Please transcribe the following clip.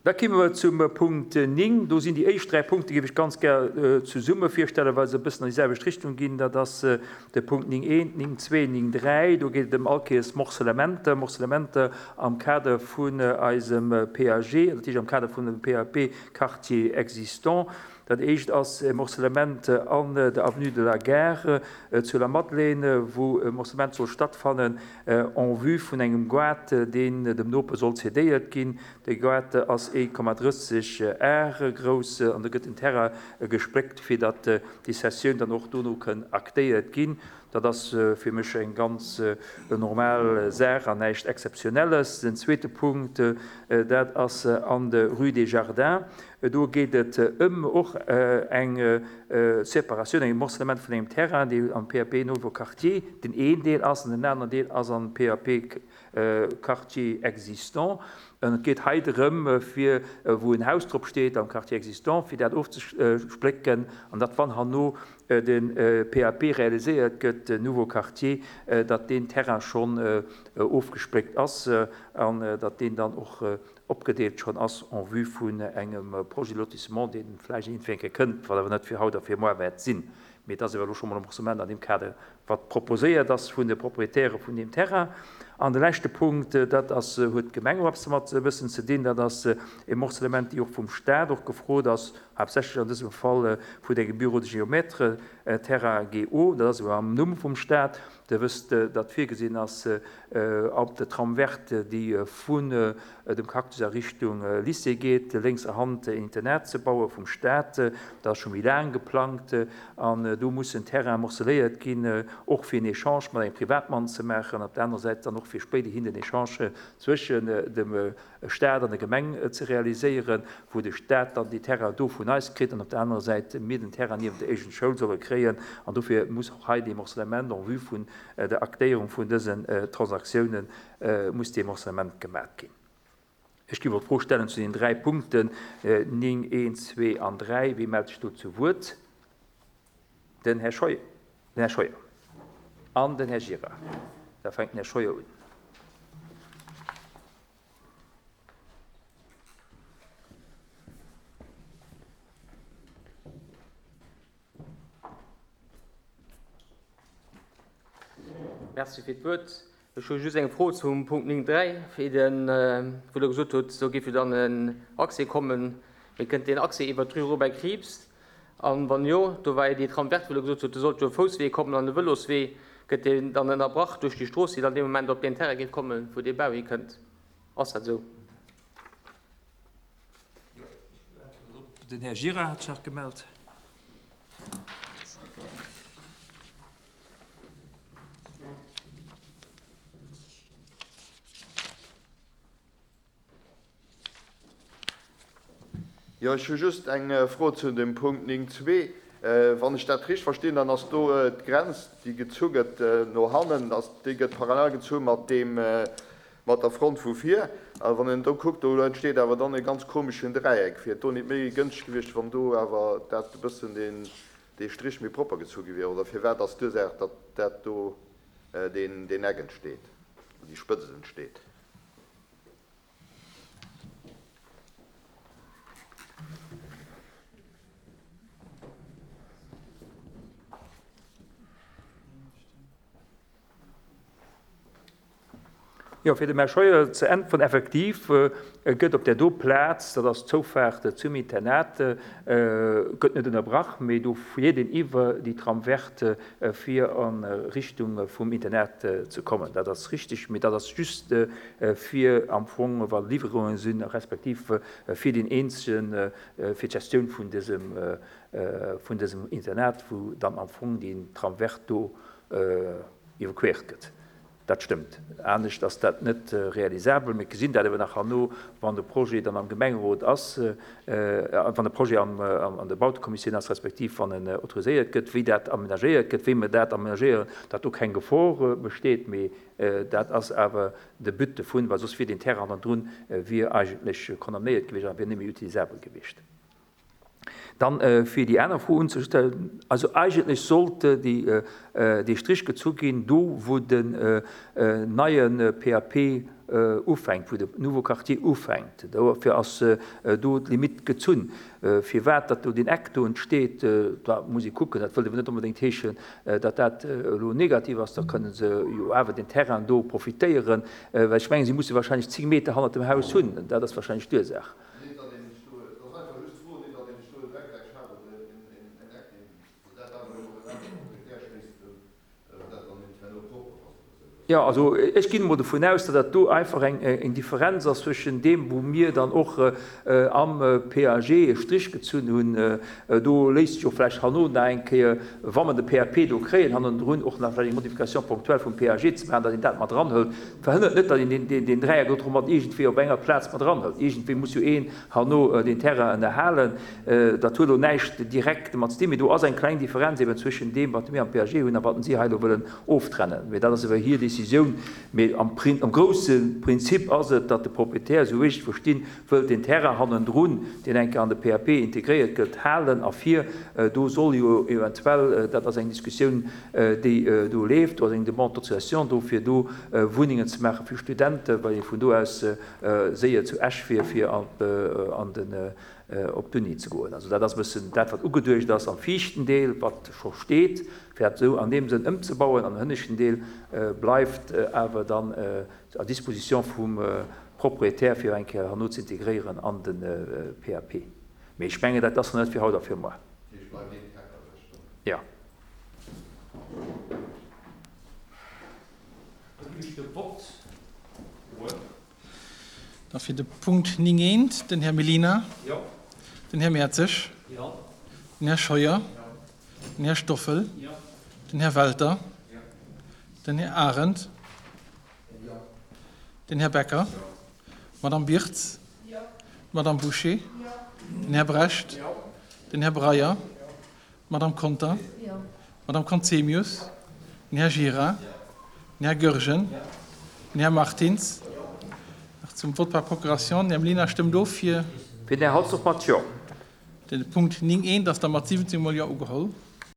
Da kimme mer zum Punkt 9. Do sinn déi éischt dräi Punkte, géif ech ganz gär zesumme virstellen, well se e bëssen an déi selwecht Richtung ginn. Dat ass de Punkt 9.1, 9.2, 9.3. Do geet et ëm all Kéiers Morcellementer, Morcellementer am Kader vun eisem PAG, dat heescht am Kader vun dem PAP Quartier existant. Dat éischt ass e Morcellement an der Avenue de la Gare zu Lamadelaine, wou e Morcellement soll stattfannen en vue vun engem Goart, deen dem Noper soll cedéiert ginn. De Goart ass 1,30 Ar grouss an do gëtt den Terrain gespléckt, fir datt déi Cessioun dann och dono kënn aktéiert ginn. Dat ass fir mech eng ganz normal Saach an näischt Exzeptionelles. Den zweete Punkt, dat ass an der Rue des Jardins. Do geet et ëm och eng Separatioun, eng Morcellement vun engem Terrain, dee am PAP Nouveau Quartier den een Deel ass an den aneren Deel ass am PAP Quartier existant. An et geet hei drëm, fir, wou en Haus drop steet am Quartier existant, fir dat ofzesplécken an datt, wann herno de PAP realiséiert gëtt, den Nouveau Quartier, datt deen Terrain schonn ofgespléckt ass an datt deen dann och opgedeelt schonn ass en vue vun engem Projet de lotissement, dee vläicht iergendwéi eng Kéier kënnt, wat awer net fir haut a fir moar wäert sinn. Mee et ass awer elo scho mol e Morcellement an deem Kader, wat proposéiert ass vun de Proprietäre vun deem Terrain. An de leschte Punkt, dat ass, huet d'Gemeng och eppes domat e bëssen ze dinn, dat ass e Morcellement, déi och vum Stat och gefrot ass, haaptsächlech an dësem Fall vun engem Bureau de géomètre, Terrain GO, dat ass awer am Numm vum Stat. Der wësst, datt virgesinn ass, op der Trame verte, déi vun dem Cactus a Richtung Lycée geet, lénkser Hand en Internat ze baue vum Stat. Dat ass scho méi laang geplangt an do muss en Terrain morceléiert ginn, och fir en Echange mat engem Privatmann ze maachen, op der anerer Säit dann och fir spéiderhin den Echange zwëschen dem Stat an der Gemeng ze realiséieren, wou de Stat dann déi Terrainen do vun eis kritt an op der anerer Säit mir den Terrain niewent der éischten Schoul solle kréien. An dofir muss och hei dee Morcellement en vue vun der Aktéierung vun dësen Transaktiounen muss dee Morcellement gemat ginn. Ech géif och d'Fro stellen zu den dräi Punkten 9, 1, 2 an 3. Wie mellt sech do zu Wuert? Den Här Scheuer, den Här Scheuer an den Här Gira. Da fänkt den Här Scheuer un. Merci fir d'Wuert. Ech hu just eng Fro zum Punkt 9, 3, wéi den, wou Der gesot hutt, do géif jo dann en Accès kommen. Mee kënnt deen Accès iwwert d'Rue Robert Krieps? An wann jo, do war jo déi Trame verte, wou Der gesot hutt, do sollt jo e Fousswee kommen an e Vëloswee, gëtt deen dann ënnerbrach duerch déi Strooss, déi dann dee Moment op deen Terrain géif kommen, wou dee Bau hikënnt? Ass dat esou? Den Här Gira hat sech nach gemellt. Jo, ech hu just eng Fro zu dem Punkt 9.2. Wann ech dat richteg verstinn, dann ass do d'Grenz, déi gezu gëtt no hannen, déi gëtt parallel gezu mat deem, mat der Front vu vir. A wann een do kuckt, do entsteet awer dann e ganz komeschen Dräieck. Wier et do nit méi gënschteg gewiescht, wann do awer dat e bëssen deen, dee Strich méi propper gezu gi wier? Oder firwat ass d'Ursaach, datt dat do deen, deen Eck entsteet, déi Spëtzt entsteet? Jo, fir dem Här Scheuer ze äntweren, Effektiv gëtt op där do Plaz, dat ass d'Zoufaart zum Internat, gëtt net ënnerbrach, mee do fiert een iwwer déi Trame verte fir a Richtung vum Internat ze kommen. Dat ass richtig, mee dat ass just fir am Fong, wa Liwwerunge sinn, respektiv fir deen eenzegen, fir d'Gestioun vun dësem, vun dësem Internat, wou dann am Fong deen Trame verte do iwwerquert gëtt. Dat stëmmt. Anescht ass dat net realisabel. Mir gesinn dat awer nach herno, wann de Projet dann am Gemengerot ass, wann de Projet an der Bautekommissioun ass, respektiv wann en autoriséiert gëtt, wéi dat amenagéiert gëtt, wéi mer dat amenagéieren, datt do keng Gefor besteet. Mee dat ass awer de But dovun, well soss wier deen Terrain hannendrun wier eigentlech condamnéiert gewiescht a wier net méi utilisabel gewiescht. Dann, fir déi aner Fro unzestellen, also eigentlech sollt dee Strich gezu ginn, do wou den neie PAP. ufänkt, wou de Nouveau Quartier ufänkt. Dofir ass do d'Limite gezunn. Firwat datt do deen Eck do entsteet, da muss ee kucken. Dat wëllt awer net onbedéngt heeschen, datt dat elo negativ ass. Da kënne se jo awer deen Terrain do profitéieren, well ech mengen, si musse wahrscheinlech 10 Meter hannert dem Haus hunn. Dat ass wahrscheinlech d'Ursaach. Jo, also ech ginn emol dovun aus, datt dat do einfach eng Differenz ass zwëschen deem, wou mir dann och am PAG e Strich gezunn hunn. Do léisst sech och vläicht herno nach eng Kéier, wa mer de PAP do kréien, hannendrun och nach vläicht eng Modification ponctuelle vum PAG ze maachen, datt een dat mat eranhëlt. Verhënnert net, datt een deen Dräieck do mat iergendwéi op enger Plaz mat eranhëlt. Iergendwéi muss jo een herno deen Terrain ënnerhalen. Dat huet elo näischt direkt domat ze dinn, mee do ass eng kleng Differenz eben zwëschen deem, wat mir am PAG hunn a wat si hei elo wëllen oftrennen. Mee dat ass ewer hir Décisioun. Mee am am grousse Prinzip ass et, datt de Proprietär, esou wéi ech et verstinn, wëllt deen Terrain hannendrun, deen eng Kéier an de PAP integréiert gëtt, halen a fir do soll jo eventuell, dat ass eng Diskussioun, déi do leeft, do ass eng Demande d'autorisation do, fir do Wunnengen ze maache fir Studenten, well ee vun do aus séier zu Esch wier, fir an den op d'Uni ze goen. Also dat ass e bëssen dat, wat ugeduecht ass am viischten Deel, wat scho steet, fir dat esou an deem Sënn ëmzebauen. An den hënneschten Deel bleift awer dann à disposition vum Propriétaire, fir eng Kéier herno ze integréieren an de PAP. Mee ech mengen, dat ass nach net fir haut a fir muer. Jo. Da ginn ech de Wort un. Da fir de Punkt 9 eent, den Här Mellina. Jo. Den Här Mertzig. Jo. Den Här Scheuer. Jo. Den Här Stoffel. Jo. Den Här Welter. Jo. Den Här Arendt. Jo. Den Här Becker. Jo. D'Madame Birtz. Jo. D'Madame Bouché. Jo. Den Här Brecht. Jo. Den Här Breyer. Jo. D'Madame Conter. Jo. D'Madame Conzemius. Den Här Gira. Den Här Goergen. Den Här Martins. Nach zum Vote par procuration. Den Här Mlinar stëmmt of fir. Fir den Här Halsdorf mat Jo. Den Punkt 9 eent ass da mat 17 mol Jo ugeholl.